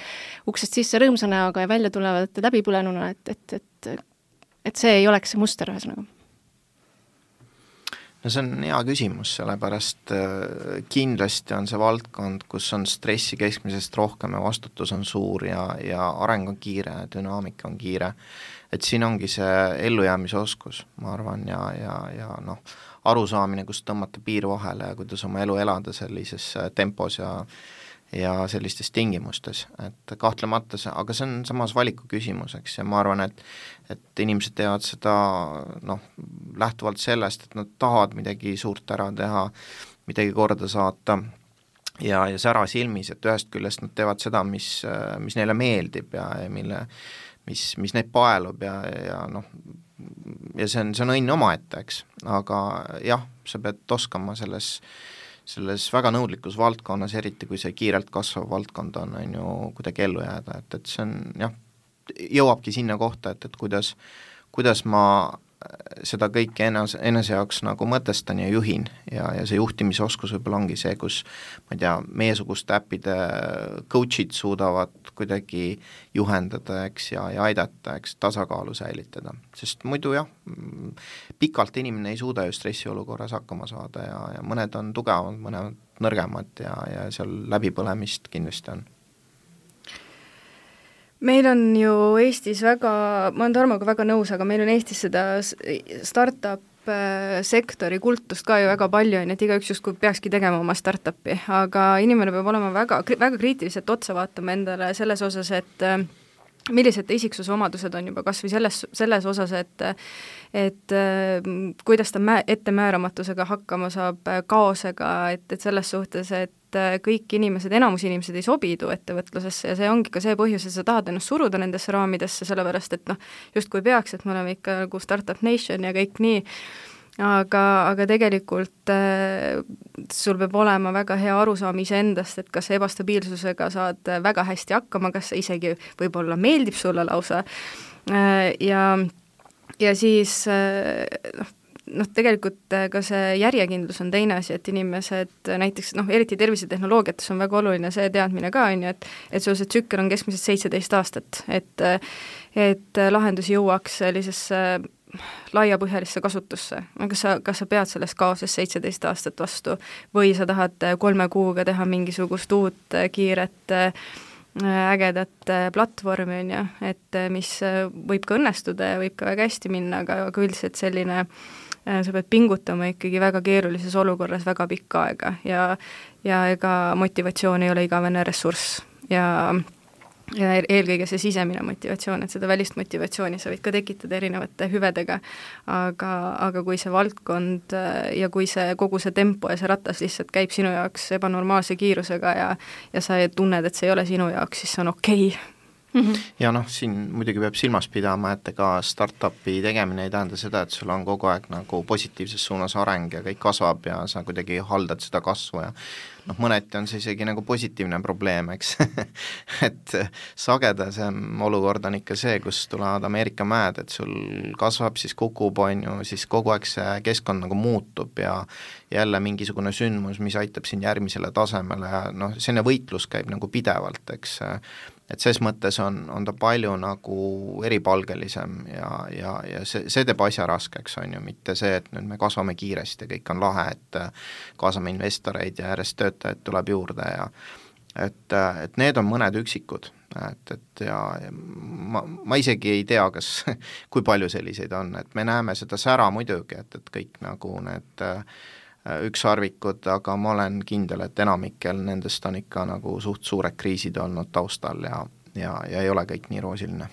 uksest sisse rõõmsa näoga ja välja tulevad läbipõlenuna, et see ei oleks see muster ühesõnaga? No see on hea küsimus, sellepärast kindlasti on see valdkond, kus on stressi keskmisest rohkem ja vastutus on suur ja areng on kiire, dünaamika on kiire. Et siin ongi see ellujäämise oskus, ma arvan, ja arusaamine, kus tõmmata piir vahele ja kuidas oma elu elada sellises tempos ja sellistes tingimustes, et kahtlemata see, aga see on samas valiku küsimus, eks, ja ma arvan, et inimesed teevad seda lähtuvalt sellest, et nad tahavad midagi suurt ära teha, midagi korda saata ja sära silmis, et ühest küljest nad teevad seda, mis neile meeldib ja mis neid paelub ja noh, ja see on õnn omaette, eks, aga jah, sa pead oskama selles väga nõudlikus valdkonnas, eriti kui see kiirelt kasvav valdkond on ju kuidagi ellu jääda, et see on jah, jõuabki sinna kohta, et kuidas ma seda kõike enese jaoks nagu mõtestan ja juhin ja see juhtimisoskus võib-olla ongi see, kus ma ei tea, meiesuguste äppide coach'id suudavad kuidagi juhendada, eks, ja aidata, eks, tasakaalu säilitada, sest muidu jah, pikalt inimene ei suuda ju stressiolukorras hakkama saada ja mõned on tugevamad, mõned nõrgemad ja seal läbipõlemist kindlasti on. Meil on ju Eestis väga, ma olen Tarmoga väga nõus, aga meil on Eestis seda startup sektori kultust ka ju väga palju, et igaüks justkui peakski tegema oma startupi, aga inimene peab olema väga kriitiliselt otsa vaatama endale selles osas, et millised isiksuse omadused on juba kas või selles osas, et kuidas ta ettemääramatusega hakkama saab, kaosega, et selles suhtes, et kõik inimesed, enamus inimesed ei sobidu ettevõtlusesse ja see ongi ka see põhjus, et sa tahad ennast suruda nendesse raamidesse, sellepärast et noh, justkui peaks, et me oleme ikka nagu startup nation ja kõik nii, aga tegelikult sul peab olema väga hea arusaam iseendast, et kas ebastabiilsusega saad väga hästi hakkama, kas see isegi võib-olla meeldib sulle lausa ja siis tegelikult ka see järjekindlus on teine asi, et inimesed näiteks eriti tervisetehnoloogiates on väga oluline see teadmine ka, on ju, et sul see tsükkel on keskmiselt 17 aastat, et lahendus jõuaks sellisesse laiapõhjalisse kasutusse. Kas sa pead sellest kaoses 17 aastat vastu või sa tahad 3 kuuga teha mingisugust uut kiiret ägedat platvormi, on ju, et mis võib ka õnnestuda ja võib ka väga hästi minna, aga üldiselt selline sa pead pingutama ikkagi väga keerulises olukorras väga pikka aega ja ega motivatsioon ei ole igavene ressurss ja eelkõige see sisemine motivatsioon, et seda välist motivatsiooni sa võid ka tekitada erinevate hüvedega, aga kui see valdkond ja kui see kogu see tempo ja see ratas lihtsalt käib sinu jaoks ebanormaalse kiirusega ja sa tunned, et see ei ole sinu jaoks, siis see on okei. Ja siin muidugi peab silmas pidama, et ega startupi tegemine ei tähenda seda, et sul on kogu aeg nagu positiivses suunas areng ja kõik kasvab ja sa kuidagi haldad seda kasvu ja mõneti on see isegi nagu positiivne probleem, eks et sagedasem olukord on ikka see, kus tulevad Ameerika mäed, et sul kasvab, siis kukub, on ju, siis kogu aeg see keskkond nagu muutub ja jälle mingisugune sündmus, mis aitab sind järgmisele tasemele ja selline võitlus käib nagu pidevalt, eks, et ses mõttes on ta palju nagu eripalgelisem ja see teeb asja raskeks, on ju, mitte see, et nüüd me kasvame kiiresti ja kõik on lahe, et kaasame investoreid ja järjest töötajaid tuleb juurde ja et need on mõned üksikud, et ma isegi ei tea, kas kui palju selliseid on, et me näeme seda sära muidugi, et kõik nagu need ükssarvikud, aga ma olen kindel, et enamikel nendest on ikka nagu suht suured kriisid olnud taustal ja ei ole kõik nii roosiline.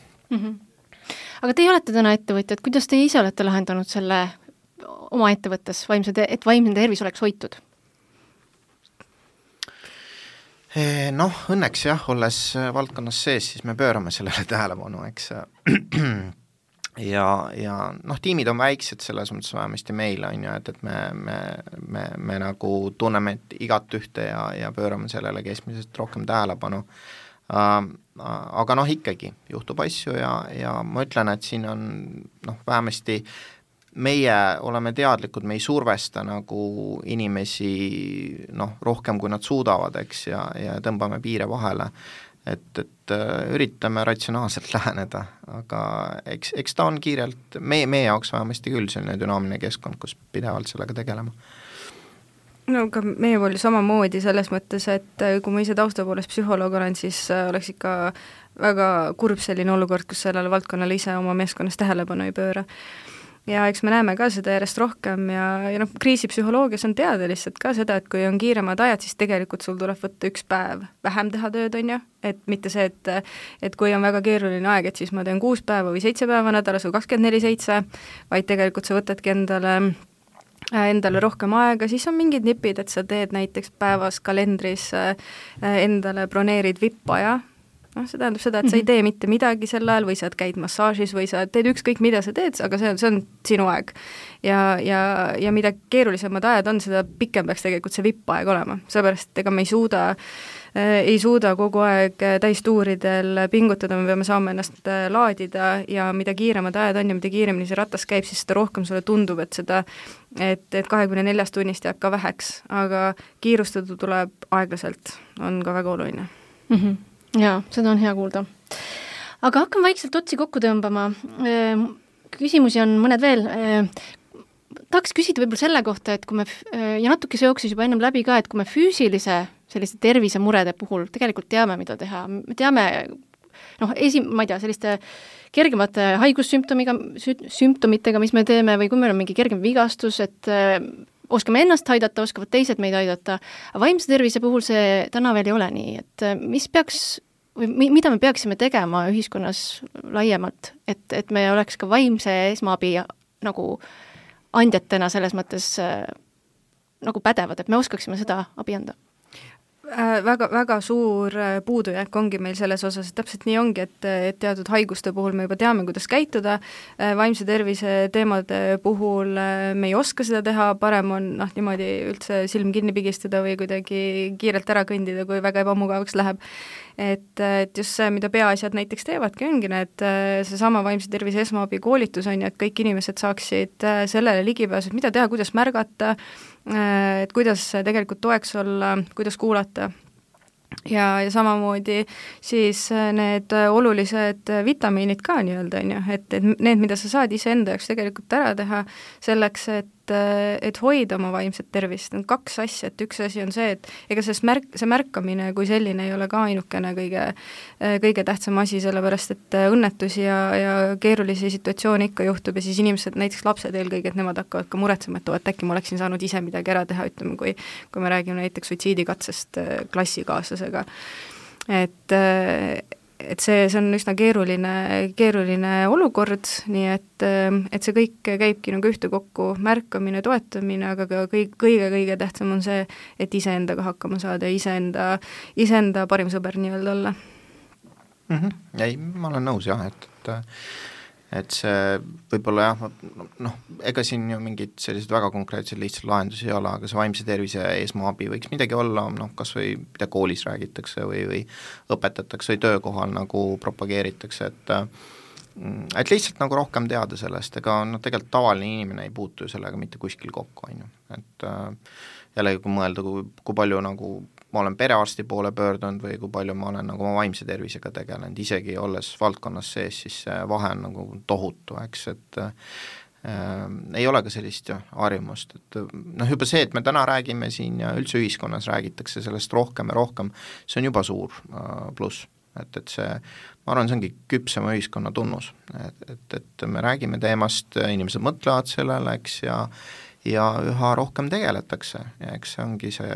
Aga teie olete täna ettevõtjad, kuidas teie ise olete lahendanud selle oma ettevõttes, et vaimne tervis oleks hoitud? Õnneks jah, olles valdkonnas sees, siis me pöörame sellele tähelepanu, eks ja tiimid on väiksed selles mõttes vähemasti meil, on ju, et me nagu tunneme igat ühte ja pöörame sellele keskmisest rohkem tähelepanu. Aga ikkagi juhtub asju ja ma ütlen, et siin on vähemasti meie oleme teadlikud, me ei survesta nagu inimesi rohkem, kui nad suudavad, eks, ja tõmbame piire vahele. Et üritame ratsionaalselt läheneda, aga eks ta on kiirelt, meie jaoks vähemasti küll selline dünaamiline keskkond, kus pidevalt sellega tegelema. Ka meie pool samamoodi selles mõttes, et kui ma ise tausta poolest psühholoog olen, siis oleks ikka väga kurb selline olukord, kus sellele valdkonnale ise oma meeskonnas tähelepanu ei pööra. Ja eks me näeme ka seda järjest rohkem ja kriisipsühholoogias on teada lihtsalt ka seda, et kui on kiiremad ajad, siis tegelikult sul tuleb võtta 1 päev vähem teha tööd, on ju, et mitte see, et kui on väga keeruline aeg, et siis ma teen 6 päeva või 7 päeva nädalas või 24/7, vaid tegelikult sa võtadki endale endale rohkem aega, siis on mingid nipid, et sa teed näiteks päevas kalendris endale broneerid VIP-aja, see tähendab seda, et sa ei tee mitte midagi sel ajal või sa käid massaažis või sa teed ükskõik, mida sa teed, aga see on sinu aeg. Ja mida keerulisemad ajad on, seda pikem peaks tegelikult see VIP-aeg olema, seepärast ega me ei suuda kogu aeg täistuuridel pingutada, me peame saama ennast laadida ja mida kiiremad ajad on ja mida kiiremini see ratas käib, siis seda rohkem sulle tundub, et 24 tunnist jääb ka väheks, aga kiirustada tuleb aeglaselt, on ka väga oluline. Jaa, seda on hea kuulda. Aga hakkan vaikselt otsi kokku tõmbama. Küsimusi on mõned veel. Tahaks küsida võib-olla selle kohta, et kui me, ja natuke see jooksis juba ennem läbi ka, et kui me füüsilise selliste tervisemurede puhul tegelikult teame, mida teha, me teame, ma ei tea, selliste kergemate haigussümptomitega, mis me teeme, või kui meil on mingi kergem vigastus, et oskame ennast aidata, oskavad teised meid aidata, aga vaimse tervise puhul see täna veel ei ole nii, et mida me peaksime tegema ühiskonnas laiemalt, et me oleks ka vaimse esmaabi nagu andjatena selles mõttes nagu pädevad, et me oskaksime seda abi anda? Väga suur puudujääk ongi meil selles osas, et täpselt nii ongi, et teatud haiguste puhul me juba teame, kuidas käituda, vaimse tervise teemade puhul me ei oska seda teha, parem on niimoodi üldse silm kinni pigistada või kuidagi kiirelt ära kõndida, kui väga ebamugavaks läheb. Et just see, mida peaasjad näiteks teevadki, ongi need seesama vaimse tervise esmaabi koolitus on ja et kõik inimesed saaksid sellele ligipääsu, et mida teha, kuidas märgata, et kuidas tegelikult toeks olla, kuidas kuulata. Ja samamoodi siis need olulised vitamiinid ka nii-öelda, et need, mida sa saad iseenda jaoks tegelikult ära teha selleks, et hoida oma vaimset tervist, on kaks asja, et üks asi on see, et ega see märkamine kui selline ei ole ka ainukene kõige tähtsam asi, sellepärast et õnnetusi ja keerulisi situatsioone ikka juhtub ja siis inimesed, näiteks lapsed eelkõige, et nemad hakkavad ka muretsema, et äkki ma oleksin saanud ise midagi ära teha, ütleme, kui me räägime näiteks suitsiidikatsest klassikaaslasega. Et see on üsna keeruline olukord, nii et see kõik käibki nagu ühte kokku, märkamine, toetamine, aga ka kõige tähtsam on see, et iseendaga hakkama saada ja iseenda parim sõber nii-öelda olla. Ei, ma olen nõus jah, et see võib-olla ega siin ju mingid sellised väga konkreetsed lihtsalt lahendusi ei ole, aga see vaimse tervise esmaabi võiks midagi olla, kas või mida koolis räägitakse või õpetatakse või töökohal nagu propageeritakse, et lihtsalt nagu rohkem teada sellest, ega tegelikult tavaline inimene ei puutu ju sellega mitte kuskil kokku, et jällegi kui mõelda, kui palju nagu ma olen perearsti poole pöördunud või kui palju ma olen nagu oma vaimse tervisega tegelenud, isegi olles valdkonnas sees, siis see vahe on nagu tohutu, eks, et ei ole ka sellist harjumust, et juba see, et me täna räägime siin ja üldse ühiskonnas räägitakse sellest rohkem ja rohkem, see on juba suur pluss, et see, ma arvan, see ongi küpsema ühiskonna tunnus, et me räägime teemast, inimesed mõtlevad sellele, eks, ja üha rohkem tegeletakse ja eks see ongi see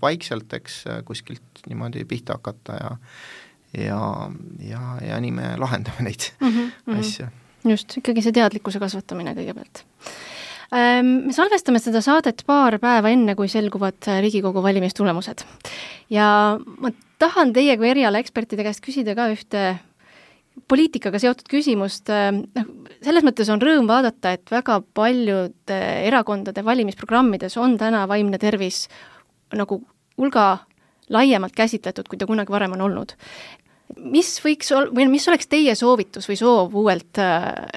vaikselt, eks kuskilt niimoodi pihta hakata ja nii me lahendame neid asju. Just, ikkagi see teadlikkuse kasvatamine kõigepealt. Me salvestame seda saadet paar päeva enne, kui selguvad Riigikogu valimistulemused. Ja ma tahan teie kui erialaekspertide käest küsida ka ühte poliitikaga seotud küsimust. Selles mõttes on rõõm vaadata, et väga paljude erakondade valimisprogrammides on täna vaimne tervis nagu hulga laiemalt käsitletud, kui ta kunagi varem on olnud. Mis oleks teie soovitus või soov uuelt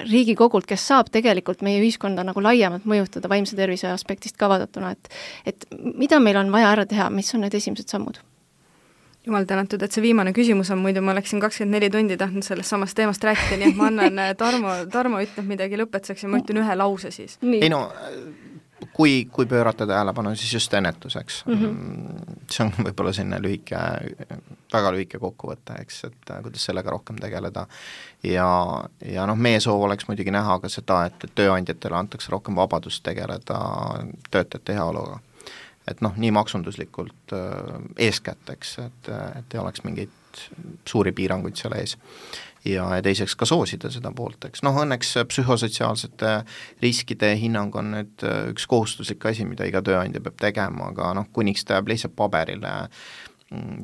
Riigikogult, kes saab tegelikult meie ühiskonda nagu laiemalt mõjutada vaimse tervise aspektist ka vaadatuna, et mida meil on vaja ära teha, mis on need esimesed sammud? Jumal tänatud, et see viimane küsimus on, muidu ma oleksin 24 tundi tahtnud sellest samast teemast rääkida, nii et ma annan Tarmo ütleb midagi lõpetuseks ja ma ütlen ühe lause siis. Ei kui pöörata tähelepanu, siis just ennetuseks. See on võib-olla selline väga lühike kokkuvõte, eks, et kuidas sellega rohkem tegeleda ja meie soov oleks muidugi näha ka seda, et tööandjatele antakse rohkem vabadust tegeleda töötajate heaoluga. Et nii maksunduslikult eeskätt, eks, et ei oleks mingeid suuri piiranguid seal ees. Ja teiseks ka soosida seda poolt, eks. Õnneks psühhosotsiaalsete riskide hinnang on nüüd üks kohustuslik asi, mida iga tööandja peab tegema, aga kuniks ta jääb lihtsalt paberile,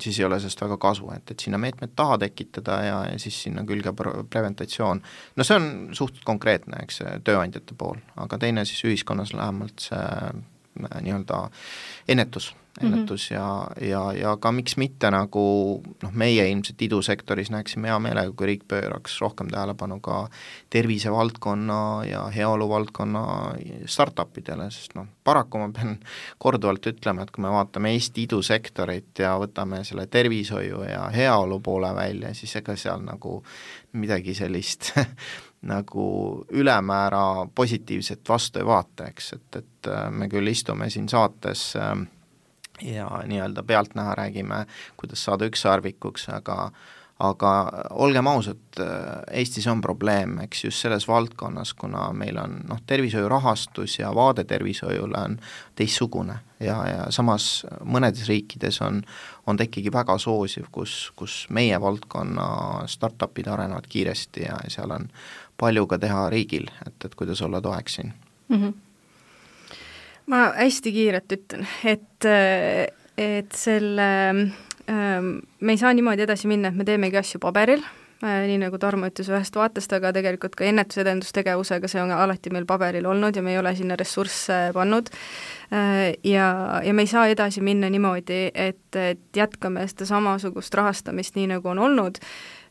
siis ei ole sellest väga kasu, et sinna meetmed taha tekitada ja siis sinna külge preventatsioon. See on suht konkreetne, eks, tööandjate pool, aga teine siis ühiskonnas lähemalt see nii-öelda ennetus ja ka miks mitte nagu meie ilmselt idusektoris näeksime hea meelega, kui riik pööraks rohkem tähelepanu ka tervisevaldkonna ja heaolu valdkonna startupidele, sest paraku ma pean korduvalt ütlema, et kui me vaatame Eesti idusektorit ja võtame selle tervishoiu ja heaolu poole välja, siis ega seal nagu midagi sellist nagu ülemäära positiivset vastu ei vaata, eks, et me küll istume siin saates ja nii-öelda pealtnäha räägime, kuidas saada ükssarvikuks, aga olgem ausad, Eestis on probleem, eks, just selles valdkonnas, kuna meil on tervishoiu rahastus ja vaade tervishoiule on teistsugune ja samas mõnedes riikides on ta ikkagi väga soosiv, kus meie valdkonna startupid arenevad kiiresti ja seal on palju ka teha riigil, et kuidas olla toeks siin. Ma hästi kiirelt ütlen, et selle me ei saa niimoodi edasi minna, et me teemegi asju paberil, nii nagu Tarmo ütles ühest vaatest, aga tegelikult ka ennetusedendustegevusega see on alati meil paberil olnud ja me ei ole sinna ressursse pannud ja me ei saa edasi minna niimoodi, et jätkame seda samasugust rahastamist nii nagu on olnud,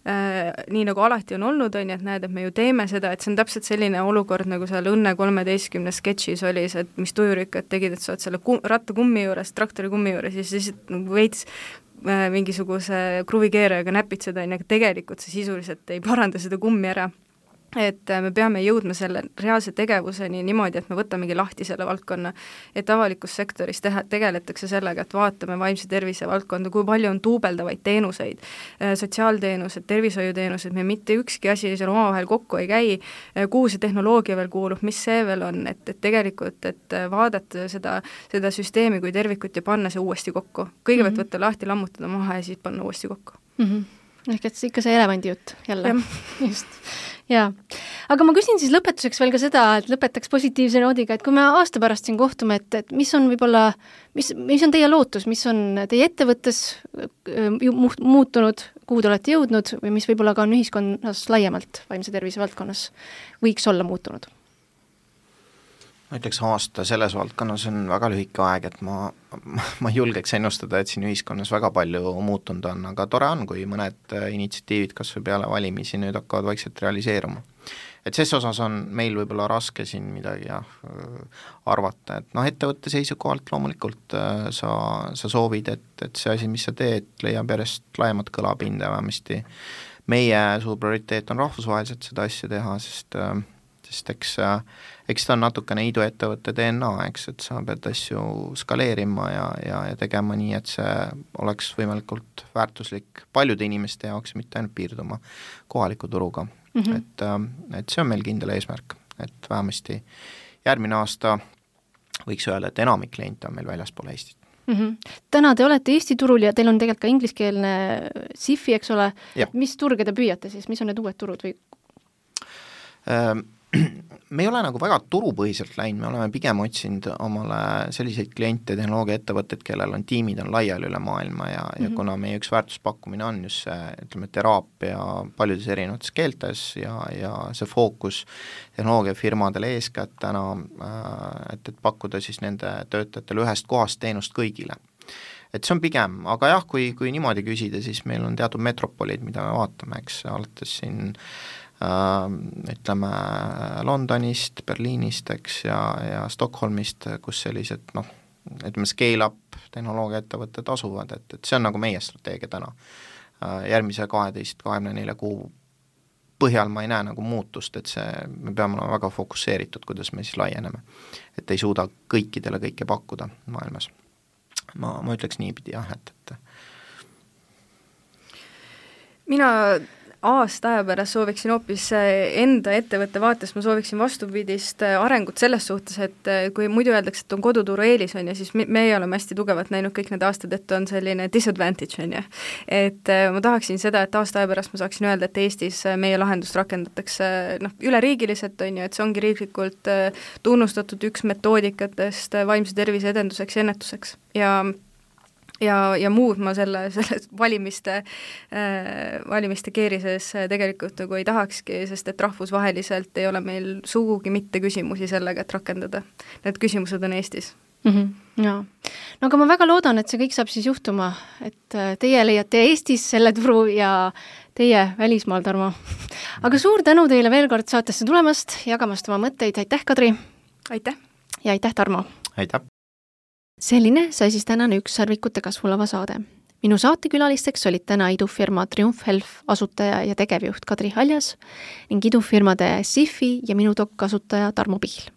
nii nagu alati on olnud, on ju, et näed, et me ju teeme seda, et see on täpselt selline olukord, nagu seal Õnne 13 sketšis oli see, et mis tujurikkad tegid, et sa oled selle rattakummi juures, traktori kummi juures ja siis veits mingisuguse kruvikeerajaga näpid seda, aga tegelikult see sisuliselt ei paranda seda kummi ära. Et me peame jõudma selle reaalse tegevuseni niimoodi, et me võtamegi lahti selle valdkonna, et avalikus sektoris tegeletakse sellega, et vaatame vaimse tervise valdkonda, kui palju on duubeldavaid teenuseid, sotsiaalteenused, tervishoiuteenused, me mitte ükski asi seal omavahel kokku ei käi, kuhu see tehnoloogia veel kuulub, mis see veel on, et tegelikult, et vaadata seda süsteemi kui tervikut ja panna see uuesti kokku. Kõigepealt võtta lahti, lammutada maha ja siis panna uuesti kokku. Ehk et ikka see elevandi jutt jälle. Just. Jaa. Aga ma küsin siis lõpetuseks veel ka seda, et lõpetaks positiivse noodiga, et kui me aasta pärast siin kohtume, et mis on võib-olla, mis on teie lootus, mis on teie ettevõttes muutunud, kuhu te olete jõudnud või mis võib-olla ka on ühiskonnas laiemalt vaimse tervise valdkonnas võiks olla muutunud? Ma ütleks aasta selles valdkonnas on väga lühike aeg, et ma julgeks ennustada, et siin ühiskonnas väga palju muutunud on, aga tore on, kui mõned initsiatiivid kas või peale valimisi nüüd hakkavad vaikselt realiseeruma. Et ses osas on meil võib-olla raske siin midagi arvata, et ettevõtte seisukohalt loomulikult sa soovid, et see asi, mis sa teed, leiab järjest laiemat kõlapinda vähemasti. Meie suur prioriteet on rahvusvaheliselt seda asja teha, sest eks ta on natukene iduettevõtte DNA, eks, et sa pead asju skaleerima ja tegema nii, et see oleks võimalikult väärtuslik paljude inimeste jaoks, mitte ainult piirduma kohaliku turuga. Et see on meil kindel eesmärk, et vähemasti järgmine aasta võiks öelda, et enamik kliente on meil väljaspool Eestit. Täna te olete Eesti turul ja teil on tegelikult ka ingliskeelne SIFI, eks ole, mis turge te püüate siis, mis on need uued turud või? Me ei ole nagu väga turupõhiselt läinud, me oleme pigem otsinud omale selliseid kliente, tehnoloogiaettevõtted, kellel on tiimid on laiali üle maailma ja kuna meie üks väärtuspakkumine on just see, ütleme, teraapia paljudes erinevates keeltes ja see fookus tehnoloogiafirmadele eeskätt täna, et pakkuda siis nende töötajatele ühest kohast teenust kõigile. Et see on pigem, aga jah, kui niimoodi küsida, siis meil on teatud metropolid, mida me vaatame, eks, alates siin ütleme Londonist, Berliinist, eks, ja Stockholmist, kus sellised, ütleme scale-up tehnoloogiaettevõtted asuvad, et see on nagu meie strateegia täna. Järgmise 12-24 kuu põhjal ma ei näe nagu muutust, et me peame olema väga fokusseeritud, kuidas me siis laieneme. Et ei suuda kõikidele kõike pakkuda maailmas. Ma ütleks niipidi jah, et mina aasta aja pärast sooviksin hoopis enda ettevõtte vaates, ma sooviksin vastupidist arengut selles suhtes, et kui muidu öeldakse, et on koduturu eelis, on ju, siis meie oleme hästi tugevalt näinud kõik need aastad, et on selline disadvantage, on ju. Et ma tahaksin seda, et aasta aja pärast ma saaksin öelda, et Eestis meie lahendust rakendatakse üleriigiliselt, on ju, et see ongi riiklikult tunnustatud üks metoodikatest vaimse tervise edenduseks ja ennetuseks ja muud ma selle valimiste keerises tegelikult nagu ei tahakski, sest et rahvusvaheliselt ei ole meil sugugi mitte küsimusi sellega, et rakendada. Need küsimused on Eestis. Jaa. No aga ma väga loodan, et see kõik saab siis juhtuma, et teie leiate Eestis selle turu ja teie välismaal, Tarmo. Aga suur tänu teile veel kord saatesse tulemast, jagamast oma mõtteid. Aitäh, Kadri! Aitäh! Ja aitäh, Tarmo! Aitäh! Selline sai siis tänane ükssarvikute kasvulava saade. Minu saatekülalisteks olid täna idufirma Triumph Health asutaja ja tegevjuht Kadri Haljas ning idufirmade SIFI ja Minudoc kasutaja Tarmo Pihl,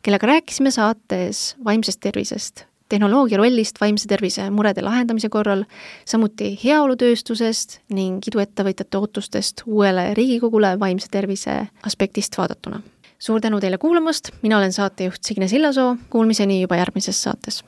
kellega rääkisime saates vaimsest tervisest, tehnoloogia rollist vaimse tervise murede lahendamise korral, samuti heaolutööstusest ning iduettevõtjate ootustest uuele Riigikogule vaimse tervise aspektist vaadatuna. Suur tänu teile kuulamast, mina olen saatejuht Signe Sillasoo, kuulmiseni juba järgmises saates.